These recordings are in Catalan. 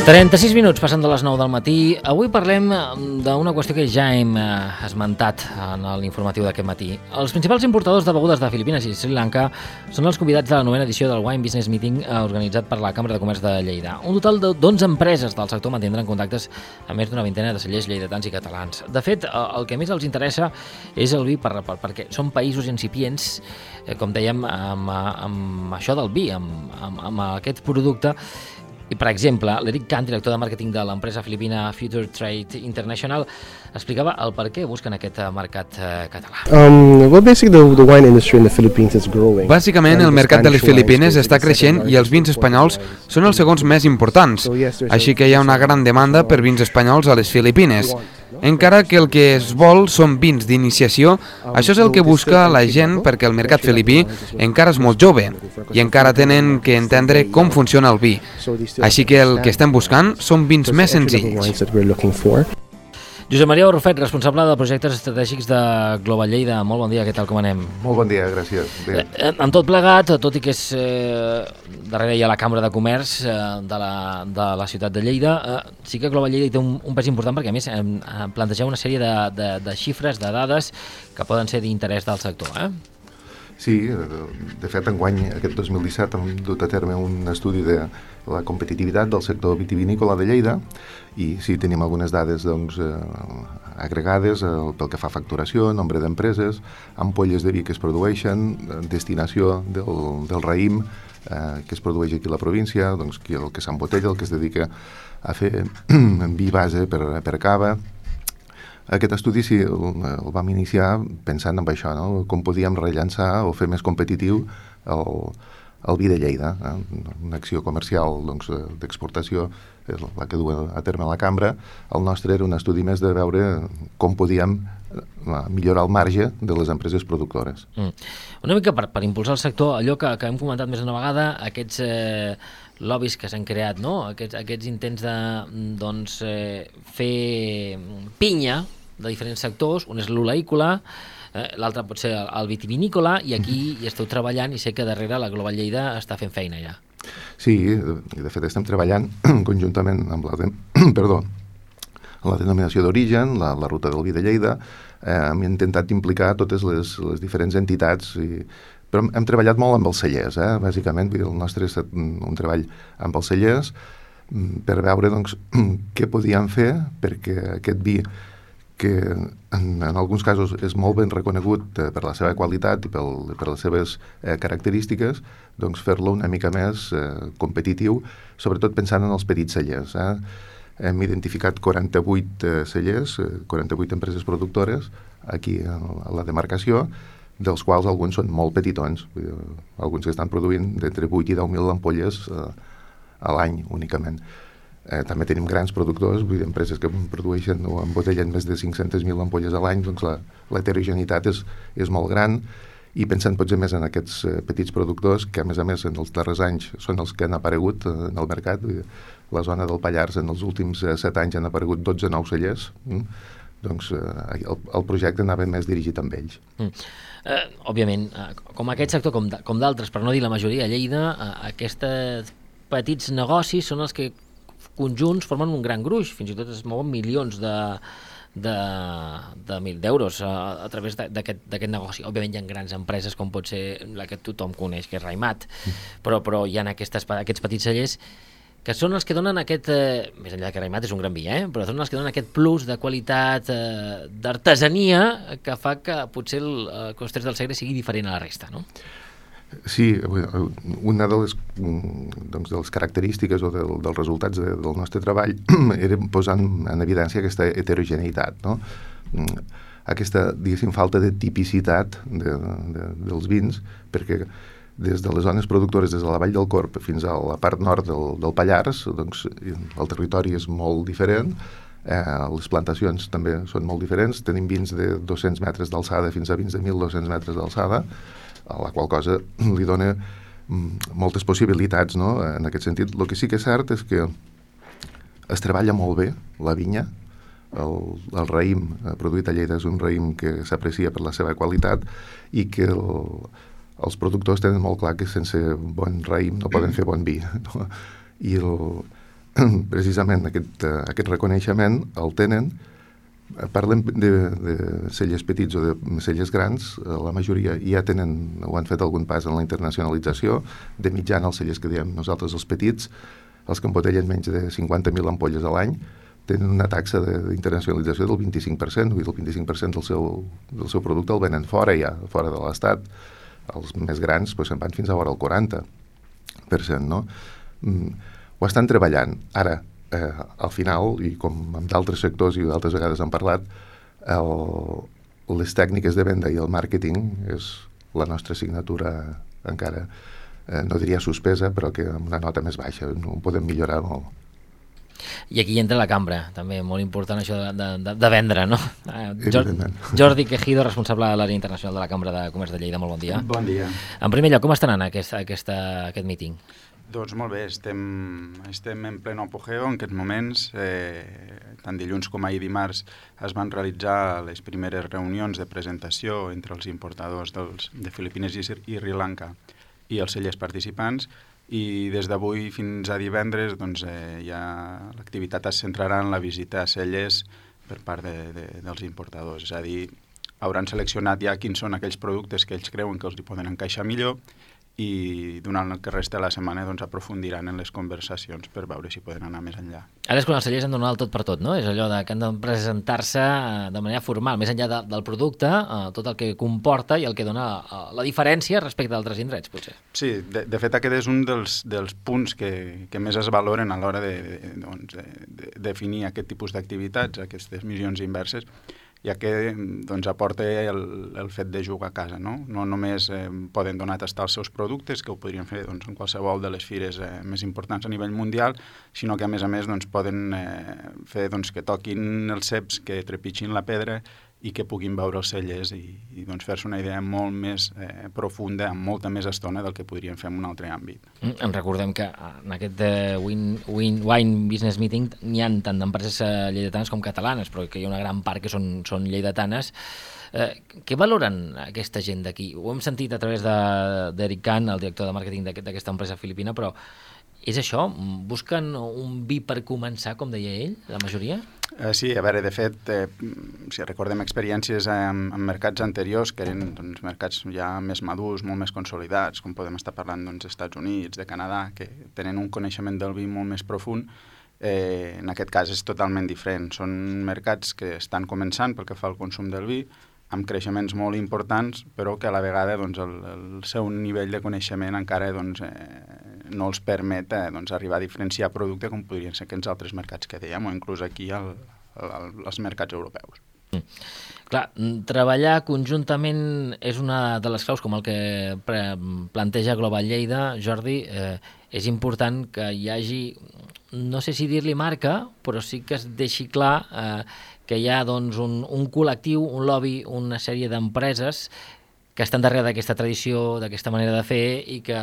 36 minuts passant de les 9 del matí. Avui parlem d'una qüestió que ja hem esmentat en l'informatiu d'aquest matí. Els principals importadors de begudes de Filipines i Sri Lanka són els convidats de la 9a edició del Wine Business Meeting organitzat per la Cambra de Comerç de Lleida. Un total d'11 empreses del sector mantindran contactes amb més d'una vintena de cellers lleidatans i catalans. De fet, el que més els interessa és el vi perquè són països incipients, com dèiem, amb això del vi, amb aquest producte. I, per exemple, l'Eric Kant, director de màrqueting de l'empresa filipina Future Trade International, explicava el per què busquen aquest mercat català. Bàsicament, el mercat de les Filipines està creixent i els vins espanyols són els segons més importants, així que hi ha una gran demanda per vins espanyols a les Filipines. Encara que el que es vol són vins d'iniciació, això és el que busca la gent perquè el mercat filipí encara és molt jove i encara tenen que entendre com funciona el vi. Així que el que estem buscant són vins més senzills. Josep Maria Orfet, responsable de projectes estratègics de Global Lleida. Molt bon dia, què tal, com anem? Molt bon dia, gràcies. Amb tot plegat, tot i que és darrere hi ha la Cambra de Comerç de la ciutat de Lleida, sí que Global Lleida té un pes important perquè, a més, plantegeu una sèrie de xifres, de dades que poden ser d'interès del sector, Sí, de fet, enguany, aquest 2017, hem dut a terme un estudi de la competitivitat del sector vitivinícola de Lleida i sí, tenim algunes dades agregades pel que fa a facturació, nombre d'empreses, ampolles de vi que es produeixen, destinació del raïm que es produeix aquí a la província, doncs, el que s'embotella, el que es dedica a fer vi base per cava. Aquest estudi sí, el vam iniciar pensant en això, no? Com podíem rellançar o fer més competitiu el vi de Lleida. Una acció comercial d'exportació és la que du a terme la Cambra. El nostre era un estudi més de veure com podíem millorar el marge de les empreses productores. Una mica per impulsar el sector, allò que hem comentat més d'una vegada, aquests lobbies que s'han creat, no? Aquests intents de fer pinya de diferents sectors, un és l'oleícola, l'altre pot ser el vitivinícola, i aquí hi esteu treballant i sé que darrere la Global Lleida està fent feina ja. Sí, de fet estem treballant conjuntament amb la denominació d'origen, la ruta del vi de Lleida. Hem intentat implicar totes les diferents entitats, però hem treballat molt amb els cellers, bàsicament. El nostre és un treball amb els cellers per veure què podíem fer perquè aquest vi, que en alguns casos és molt ben reconegut per la seva qualitat i per les seves característiques, fer-lo una mica més competitiu, sobretot pensant en els petits cellers. Hem identificat 48 cellers, 48 empreses productores aquí a la demarcació, dels quals alguns són molt petitons, alguns que estan produint d'entre 8 i 10.000 ampolles a l'any únicament. També tenim grans productors, empreses que produeixen o embotellen més de 500.000 ampolles a l'any, doncs la heterogeneïtat és molt gran, i pensant potser més en aquests petits productors que a més en els darrers anys són els que han aparegut en el mercat. La zona del Pallars en els últims 7 anys han aparegut 12 nous cellers, doncs el projecte anava més dirigit amb ells. Òbviament, com aquest sector, com d'altres, per no dir la majoria, a Lleida, aquests petits negocis són els que conjunts formen un gran gruix, fins i tot es mouen milions d'euros a través d'aquest negoci. Òbviament hi ha grans empreses com pot ser la que tothom coneix, que és Raimat, però hi ha aquests petits cellers que són els que donen aquest, més enllà que Raimat és un gran vi, però són els que donen aquest plus de qualitat, d'artesania, que fa que potser el Costers del Segre sigui diferent a la resta, no? Sí, una de les característiques o dels resultats del nostre treball era posar en evidència aquesta heterogeneïtat, no? Aquesta, diguéssim, falta de tipicitat dels vins, perquè des de les zones productores, des de la Vall del Corb fins a la part nord del Pallars, doncs el territori és molt diferent, les plantacions també són molt diferents, tenim vins de 200 metres d'alçada fins a vins de 1.200 metres d'alçada, a la qual cosa li dona moltes possibilitats, no? En aquest sentit, el que sí que és cert és que es treballa molt bé la vinya. El raïm produït a Lleida és un raïm que s'aprecia per la seva qualitat i que els productors tenen molt clar que sense bon raïm no poden fer bon vi, no? I precisament aquest reconeixement el tenen. Parlem de cellers petits o de cellers grans, la majoria ja ho han fet algun pas en la internacionalització. De mitjana, els cellers que diem nosaltres, els petits, els que embotellen menys de 50.000 ampolles a l'any, tenen una taxa d'internacionalització del 25%, vull dir, el 25% del seu producte el venen fora ja, fora de l'Estat. Els més grans se'n van fins a vora el 40%, no? Ho estan treballant. Ara, al final, i com en d'altres sectors i d'altres vegades han parlat, les tècniques de venda i el màrqueting és la nostra assignatura encara, no diria suspesa, però que amb una nota més baixa, no ho podem millorar molt. I aquí entra la cambra, també, molt important això de vendre, no? Evidentment. Jordi Quejido, responsable de l'àrea internacional de la Cambra de Comerç de Lleida, molt bon dia. Bon dia. En primer lloc, com està anant aquest míting? Doncs molt bé, estem en pleno apogeu en aquests moments. Tant dilluns com ahir dimarts es van realitzar les primeres reunions de presentació entre els importadors de Filipines i Sri Lanka i els cellers participants, i des d'avui fins a divendres doncs, ja l'activitat es centrarà en la visita a cellers per part dels importadors. És a dir, hauran seleccionat ja quins són aquells productes que ells creuen que els hi poden encaixar millor, i durant el que resta de la setmana doncs, aprofundiran en les conversacions per veure si poden anar més enllà. Ara és quan els cellers han de donar el tot per tot, no? És allò que han de presentar-se de manera formal, més enllà del producte, tot el que comporta i el que dona la diferència respecte a altres indrets, potser. Sí, de fet aquest és un dels punts que més es valoren a l'hora de definir aquest tipus d'activitats, aquestes missions inverses, ja que doncs, aporta el fet de jugar a casa, no? No només poden donar a tastar els seus productes, que ho podrien fer doncs, en qualsevol de les fires més importants a nivell mundial, sinó que a més doncs, poden fer doncs, que toquin els ceps, que trepitgin la pedra i que puguin veure els cellers i doncs, fer-se una idea molt més profunda, amb molta més estona del que podríem fer en un altre àmbit. Recordem que en aquest Wine Business Meeting n'hi ha tant d'empreses lleidatanes com catalanes, però que hi ha una gran part que són lleidatanes. Què valoren aquesta gent d'aquí? Ho hem sentit a través d'Eric Khan, el director de màrqueting d'aquesta empresa filipina, però és això? Busquen un vi per començar, com deia ell, la majoria? Sí, a veure, de fet, si recordem experiències en mercats anteriors, que eren doncs, mercats ja més madurs, molt més consolidats, com podem estar parlant dels Estats Units, de Canadà, que tenen un coneixement del vi molt més profund, en aquest cas és totalment diferent. Són mercats que estan començant pel que fa al consum del vi, amb creixements molt importants, però que a la vegada doncs, el seu nivell de coneixement encara doncs, no els permet doncs, arribar a diferenciar producte com podrien ser aquests altres mercats que dèiem, o inclús aquí als mercats europeus. Clar, treballar conjuntament és una de les claus, com el que planteja Global Lleida, Jordi. És important que hi hagi, no sé si dir-li marca, però sí que es deixi clar que hi ha doncs, un col·lectiu, un lobby, una sèrie d'empreses que estan darrere d'aquesta tradició, d'aquesta manera de fer, i que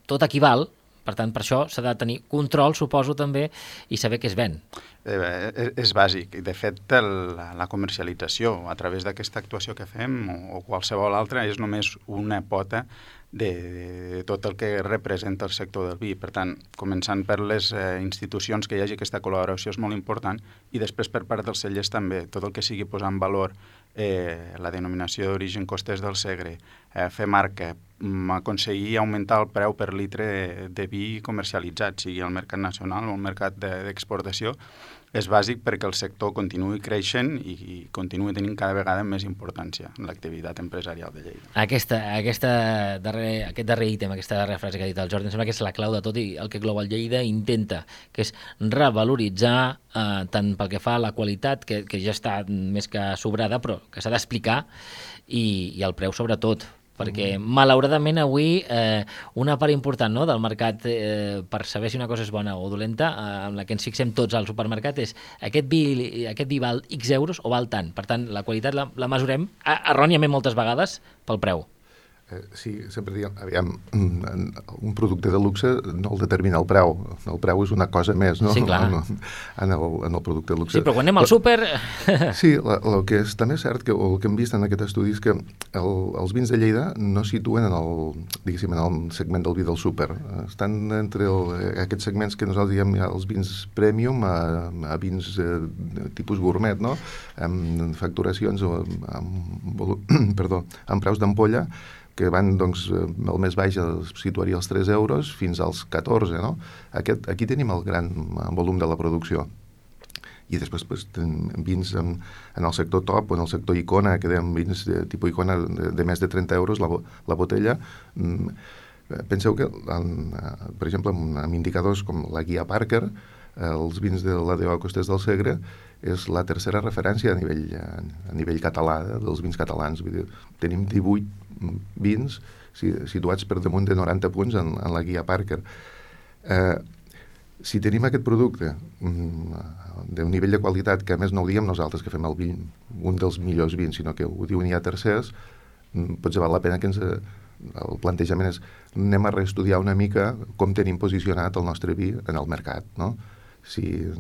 tot equival. Per tant, per això s'ha de tenir control, suposo, també, i saber què es ven. És bàsic. De fet, la comercialització a través d'aquesta actuació que fem, o qualsevol altra, és només una pota de tot el que representa el sector del vi. Per tant, començant per les institucions que hi hagi aquesta col·laboració és molt important, i després per part dels cellers també, tot el que sigui posar en valor la denominació d'origen Costés del Segre, fer marca, aconseguir augmentar el preu per litre de vi comercialitzat, sigui al mercat nacional o al mercat d'exportació, és bàsic perquè el sector continuï creixent i continuï tenint cada vegada més importància en l'activitat empresarial de Lleida. Aquest darrer ítem, aquesta darrera frase que ha dit el Jordi, em sembla que és la clau de tot, i el que Global Lleida intenta, que és revaloritzar tant pel que fa a la qualitat, que ja està més que sobrada, però que s'ha d'explicar, i el preu sobretot, perquè malauradament avui una part important, no, del mercat per saber si una cosa és bona o dolenta, amb la que ens fixem tots al supermercat, és aquest vi val X euros o val tant. Per tant, la qualitat la mesurem erròniament moltes vegades pel preu. Sí, sempre diem, aviam, un producte de luxe no el determina el preu és una cosa més, no? Sí, clar. En el producte de luxe. Sí, però quan anem al súper... Sí, el que és també cert, el que hem vist en aquest estudi és que els vins de Lleida no situen en el segment del vi del súper. Estan entre aquests segments que nosaltres diem els vins premium a vins tipus gourmet, no? Amb facturacions amb preus d'ampolla que van, doncs, el més baix es situaria als 3 euros fins als 14, no? Aquí tenim el gran volum de la producció. I després vins en el sector top o en el sector icona, que dèiem vins de tipus icona de més de 30 euros la botella. Penseu que, per exemple, amb indicadors com la guia Parker, els vins de l'ADO Costers del Segre és la tercera referència a nivell català, dels vins catalans. Vull dir, tenim 18 vins situats per damunt de 90 punts en la guia Parker. Si tenim aquest producte d'un nivell de qualitat, que a més no ho diem nosaltres que fem el vi, un dels millors vins, sinó que ho diuen ja tercers, potser val la pena que el plantejament és anem a reestudiar una mica com tenim posicionat el nostre vi en el mercat, no? Si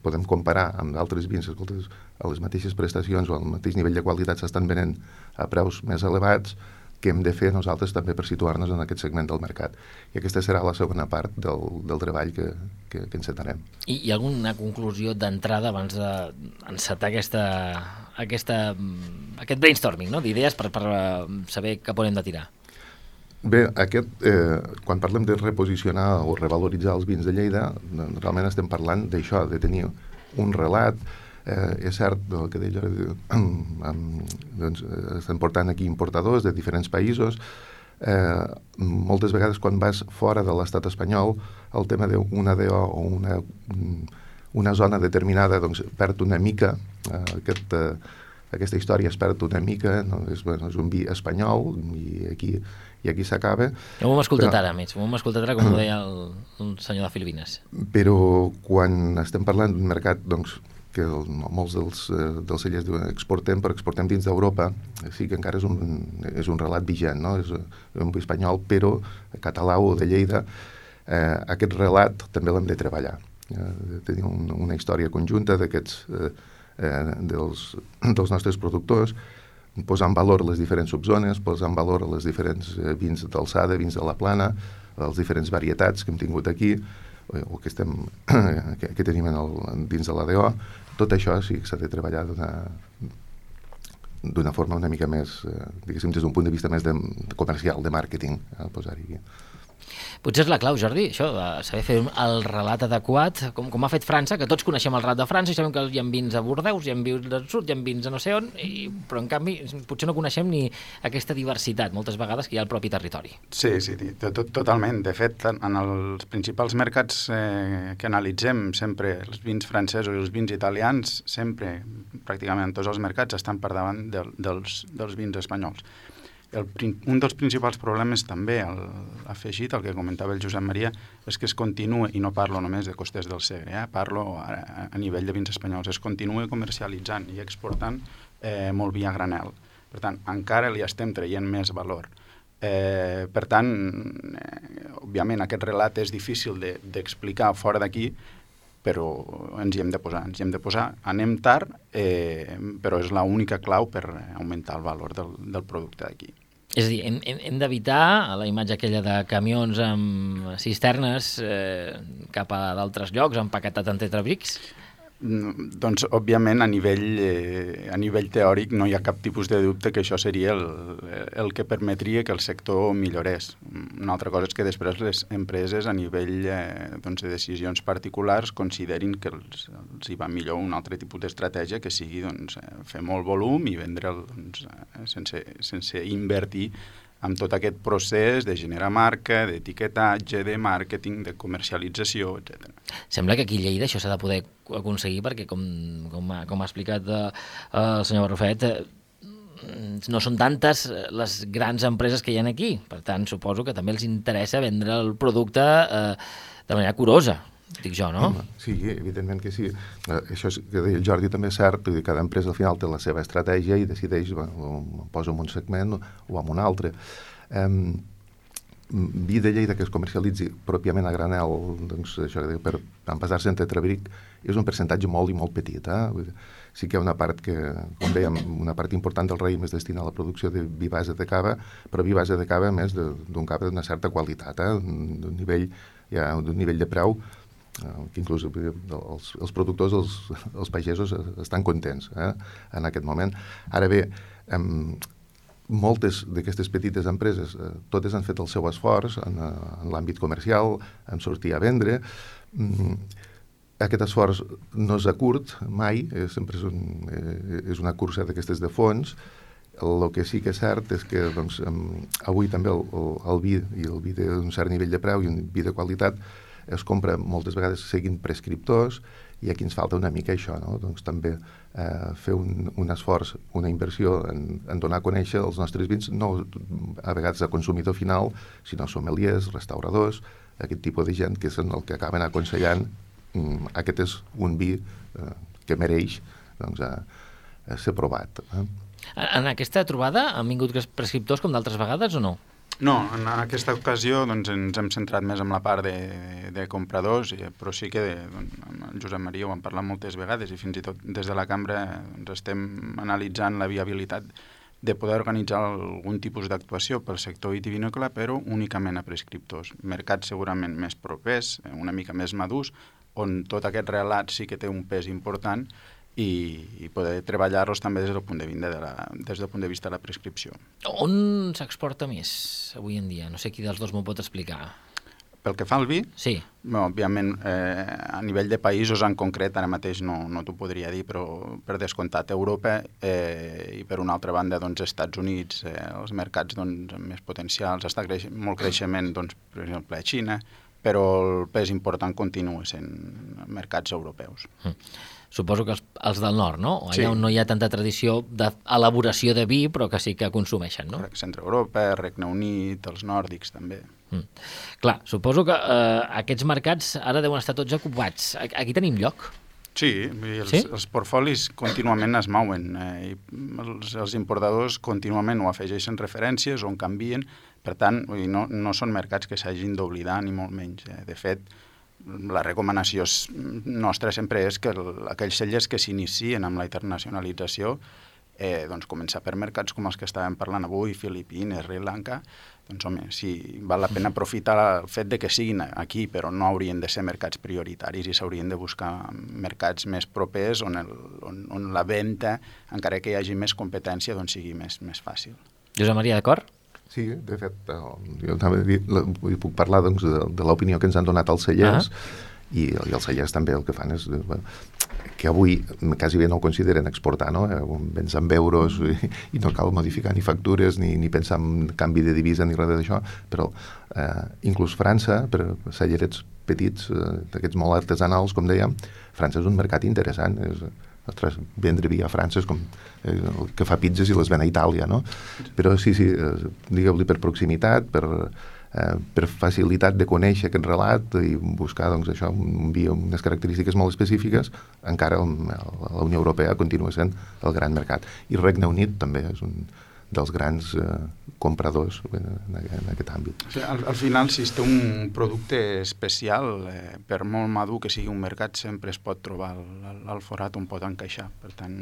podem comparar amb d'altres vins, escoltes, a les mateixes prestacions o al mateix nivell de qualitat s'estan venent a preus més elevats, què hem de fer nosaltres també per situar-nos en aquest segment del mercat. I aquesta serà la segona part del treball que encetarem. I hi ha alguna conclusió d'entrada abans d'encetar aquest brainstorming, no? D'idees per saber cap on hem de tirar? Bé, quan parlem de reposicionar o revaloritzar els vins de Lleida, realment estem parlant d'això, de tenir un relat. És cert el que deia, doncs, estan portant aquí importadors de diferents països. Moltes vegades quan vas fora de l'estat espanyol, el tema d'una DO o una zona determinada doncs, perd una mica, aquesta història es perd una mica, no? És un vi espanyol i aquí s'acaba. Ho hem escoltat ara, més. Ho hem escoltat ara, com ho deia el senyor de Filipines. Però quan estem parlant d'un mercat, doncs, que molts dels cellers diuen exportem, però exportem dins d'Europa, sí que encara és un relat vigent, no? És un vi espanyol, però català o de Lleida, aquest relat també l'hem de treballar. Tenir una història conjunta dels nostres productors, posar en valor les diferents subzones, posar en valor els diferents vins d'alçada, vins de la plana, les diferents varietats que hem tingut aquí, o que tenim dins de l'ADO. Tot això sí que s'ha de treballar d'una forma una mica més, diguéssim, des d'un punt de vista més comercial, de màrqueting, posar-hi aquí. Potser és la clau, Jordi, això, de saber fer el relat adequat, com ha fet França, que tots coneixem el relat de França i sabem que hi ha vins a Bordeus, hi ha vins al sud, hi ha vins a no sé on, però en canvi potser no coneixem ni aquesta diversitat, moltes vegades, que hi ha al propi territori. Sí, totalment. De fet, en els principals mercats que analitzem, sempre els vins francesos i els vins italians, sempre, pràcticament en tots els mercats, estan per davant dels vins espanyols. Un dels principals problemes també, afegit al que comentava el Josep Maria, és que es continua, i no parlo només de Costers del Segre, parlo a nivell de vins espanyols, es continua comercialitzant i exportant molt vi a granel. Per tant, encara li estem traient més valor. Per tant, òbviament, aquest relat és difícil d'explicar fora d'aquí, però ens hi hem de posar. Anem tard, però és l'única clau per augmentar el valor del producte d'aquí. És a dir, hem d'evitar la imatge aquella de camions amb cisternes cap a d'altres llocs, empaquetat en tetrabrics? Doncs, òbviament, a nivell teòric no hi ha cap tipus de dubte que això seria el que permetria que el sector millorés. Una altra cosa és que després les empreses a nivell de decisions particulars considerin que els hi va millor un altre tipus d'estratègia que sigui fer molt volum i vendre'l sense invertir amb tot aquest procés de generar marca, d'etiquetatge, de màrqueting, de comercialització, etc. Sembla que aquí a Lleida això s'ha de poder aconseguir perquè, com ha explicat el senyor Barrufet, no són tantes les grans empreses que hi ha aquí. Per tant, suposo que també els interessa vendre el producte de manera curosa. dic jo, no? Sí, evidentment que sí. Això que deia el Jordi també és cert, cada empresa al final té la seva estratègia i decideix, bueno, poso en un segment o en un altre. Vi de Lleida que es comercialitzi pròpiament a granel, doncs, això que per envasar-se en tetrabric, és un percentatge molt i molt petit. Sí que hi ha una part que, com dèiem, una part important del raïm es destina a la producció de vi base de cava, però vi base de cava, a més, d'un cava d'una certa qualitat, d'un nivell de preu, que inclús els productors, els pagesos, estan contents en aquest moment. Ara bé, moltes d'aquestes petites empreses, totes han fet el seu esforç en l'àmbit comercial, en sortir a vendre. Aquest esforç no és a curt, mai, sempre és una cursa d'aquestes de fons. El que sí que és cert és que doncs, avui també el vi, i el vi d'un cert nivell de preu i un vi de qualitat, es compra moltes vegades seguint prescriptors, i aquí ens falta una mica això, no? Doncs també fer un esforç, una inversió en donar a conèixer els nostres vins, no a vegades a consumidor final, sinó sommeliers, restauradors, aquest tipus de gent que són el que acaben aconsellant aquest és un vi que mereix doncs, ser provat. En aquesta trobada han vingut prescriptors com d'altres vegades o no? No, en aquesta ocasió doncs, ens hem centrat més en la part de compradors, però sí que amb el Josep Maria ho hem parlat moltes vegades i fins i tot des de la cambra doncs, estem analitzant la viabilitat de poder organitzar algun tipus d'actuació pel sector vitivinícola, però únicament a prescriptors. Mercats segurament més propers, una mica més madurs, on tot aquest relat sí que té un pes important i poder treballar-los també des del punt de vista de la prescripció. On s'exporta més avui en dia? No sé qui dels dos m'ho pot explicar. Pel que fa al vi, sí. Òbviament, a nivell de països en concret, ara mateix no t'ho podria dir, però per descomptat Europa i per una altra banda doncs, Estats Units, els mercats doncs, amb més potencials, està molt creixement, doncs, per exemple, a Xina, però el pes important continua sent mercats europeus. Suposo que els del nord, no? Allà sí. On no hi ha tanta tradició d'elaboració de vi, però que sí que consumeixen, no? Centre Europa, Regne Unit, els nòrdics també. Clar, suposo que aquests mercats ara deuen estar tots ocupats. Aquí tenim lloc? Sí, els portfolis contínuament es mouen. Els importadors contínuament o afegeixen referències o en canvien. Per tant, no són mercats que s'hagin d'oblidar, ni molt menys. De fet, la recomanació nostra sempre és que aquells cellers que s'inicien amb la internacionalització doncs començar per mercats com els que estàvem parlant avui, Filipines, Sri Lanka, doncs home, sí, val la pena aprofitar el fet de que siguin aquí, però no haurien de ser mercats prioritaris i s'haurien de buscar mercats més propers on la venda, encara que hi hagi més competència, doncs sigui més fàcil. Josep Maria, d'acord? Sí, de fet, jo també puc parlar doncs, de l'opinió que ens han donat els cellers, i els cellers també el que fan és que avui quasi bé no ho consideren exportar, no? Vens amb euros i no cal modificar ni factures ni pensar en canvi de divisa ni res d'això, però inclús França, per cellerets petits, d'aquests molt artesanals, com dèiem, França és un mercat interessant, ostres, vendre vi a França és com el que fa pizzas i les ven a Itàlia, no? Però sí, digueu-li per proximitat, per facilitat de conèixer aquest relat i buscar doncs, això, un vi amb unes característiques molt específiques, encara la Unió Europea continua sent el gran mercat. I Regne Unit també és un dels grans compradors en aquest àmbit. Al final, si es té un producte especial, per molt madur que sigui un mercat, sempre es pot trobar el forat on pot encaixar. Per tant,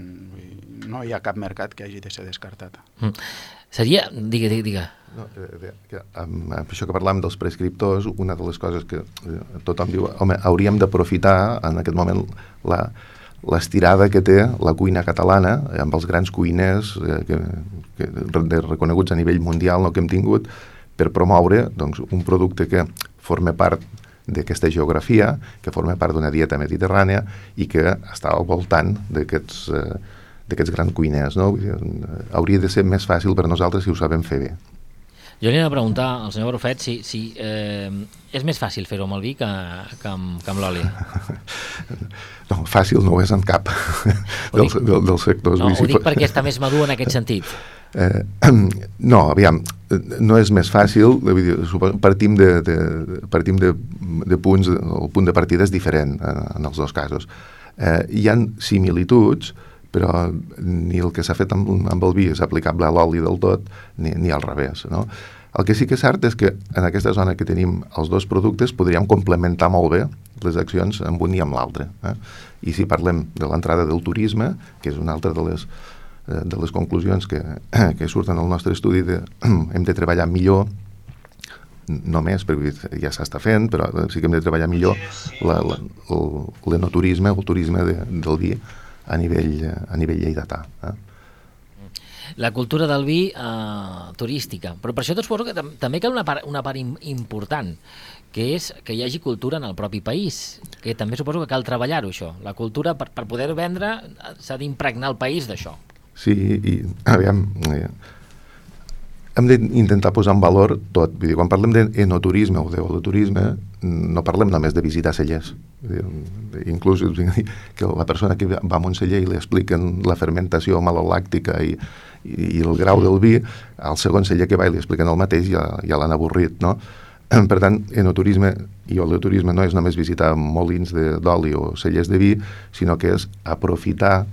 no hi ha cap mercat que hagi de ser descartat. Seria... Digue. No, amb això que parlàvem dels prescriptors, una de les coses que tothom diu, home, hauríem d'aprofitar en aquest moment l'estirada que té la cuina catalana amb els grans cuiners reconeguts a nivell mundial que hem tingut per promoure doncs, un producte que forma part d'aquesta geografia, que forma part d'una dieta mediterrània i que està al voltant d'aquests grans cuiners. No? Hauria de ser més fàcil per nosaltres si ho sabem fer bé. Jo li he de preguntar al senyor Barrufet si és més fàcil fer-ho amb el vi que amb l'oli. No, fàcil no ho és en cap dels sectors. No, ho dic perquè està més madur en aquest sentit. No, aviam, no és més fàcil, partim de punts, el punt de partida és diferent en els dos casos. Hi ha similituds, però ni el que s'ha fet amb el vi és aplicable a l'oli del tot, ni al revés, no? El que sí que és cert és que en aquesta zona que tenim els dos productes podríem complementar molt bé les accions amb un i amb l'altre. I si parlem de l'entrada del turisme, que és una altra de les conclusions que surten al nostre estudi, hem de treballar millor, no més, perquè ja s'està fent, però sí que hem de treballar millor l'enoturisme, el turisme del vi a nivell lleidatà. La cultura del vi turística. Però per això suposo que també cal una part important, que és que hi hagi cultura en el propi país, que també suposo que cal treballar-ho, això. La cultura, per poder vendre, s'ha d'impregnar el país d'això. Sí, i aviam, hem d'intentar posar en valor tot. Vull dir, quan parlem d'enoturisme o d'holoturisme, no parlem només de visitar cellers. Inclús que la persona que va a un celler i li expliquen la fermentació malolàctica i el grau del vi, al segon celler que va i li expliquen el mateix ja l'han avorrit, no? Per tant, enoturisme i holoturisme no és només visitar molins d'oli o cellers de vi, sinó que és aprofitar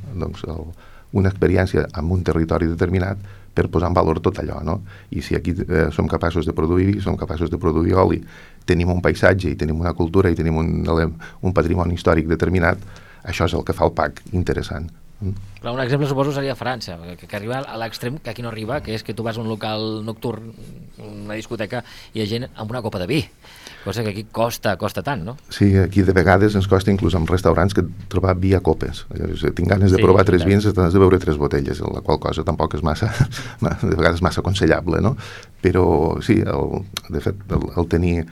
una experiència en un territori determinat per posar en valor tot allò, no? I si aquí som capaços de produir vi, som capaços de produir oli, tenim un paisatge i tenim una cultura i tenim un patrimoni històric determinat, això és el que fa el PAC interessant. Però un exemple suposo seria França, que arriba a l'extrem que aquí no arriba, que és que tu vas a un local nocturn, una discoteca, i hi ha gent amb una copa de vi, cosa que aquí costa tant, no? Sí, aquí de vegades ens costa inclús en restaurants que trobar vi a copes. Tinc ganes de provar 3 vins, has de beure 3 botelles, la qual cosa tampoc és de vegades massa aconsellable, no? Però sí, de fet, el tenir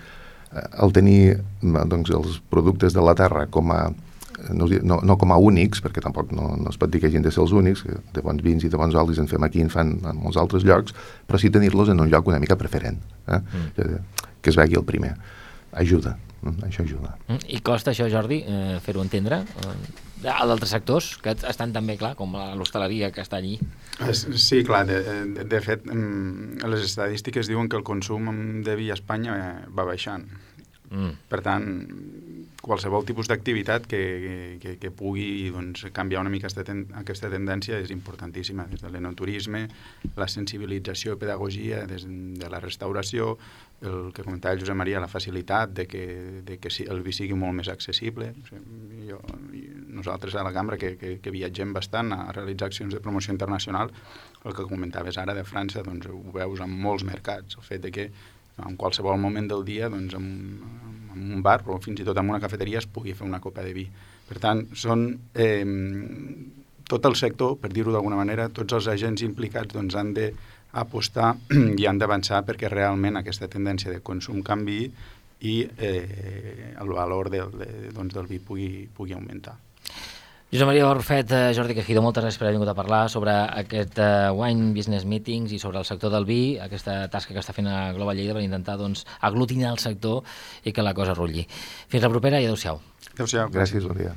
els productes de la terra com a no com a únics, perquè tampoc no es pot dir que hagin de ser els únics, de bons vins i de bons olis en fem aquí, en fan en molts altres llocs, però sí tenir-los en un lloc una mica preferent, que es vegi el primer. Ajuda, això ajuda. I costa això, Jordi, fer-ho entendre? A d'altres sectors que estan també, clar, com l'hostaleria que està allí? Sí, clar, de fet, les estadístiques diuen que el consum de vi a Espanya va baixant. Per tant, qualsevol tipus d'activitat que pugui canviar una mica aquesta tendència és importantíssima, des de l'enoturisme, la sensibilització i pedagogia des de la restauració, el que comentava el Josep Maria, la facilitat de que el vi sigui molt més accessible. Nosaltres a la cambra, que viatgem bastant a realitzar accions de promoció internacional, el que comentaves ara de França, ho veus en molts mercats, el fet de que en qualsevol moment del dia, en un bar o fins i tot en una cafeteria es pugui fer una copa de vi. Per tant, són tot el sector, per dir-ho d'alguna manera, tots els agents implicats han d'apostar i han d'avançar perquè realment aquesta tendència de consum canviï i el valor del vi pugui augmentar. Josep Maria Barrufet, Jordi Quejido, moltes gràcies per haver vingut a parlar sobre aquest Wine Business Meetings i sobre el sector del vi, aquesta tasca que està fent a Global Lleida per intentar aglutinar el sector i que la cosa rutlli. Fins la propera i adéu-siau. Adéu-siau. Gràcies, bon dia.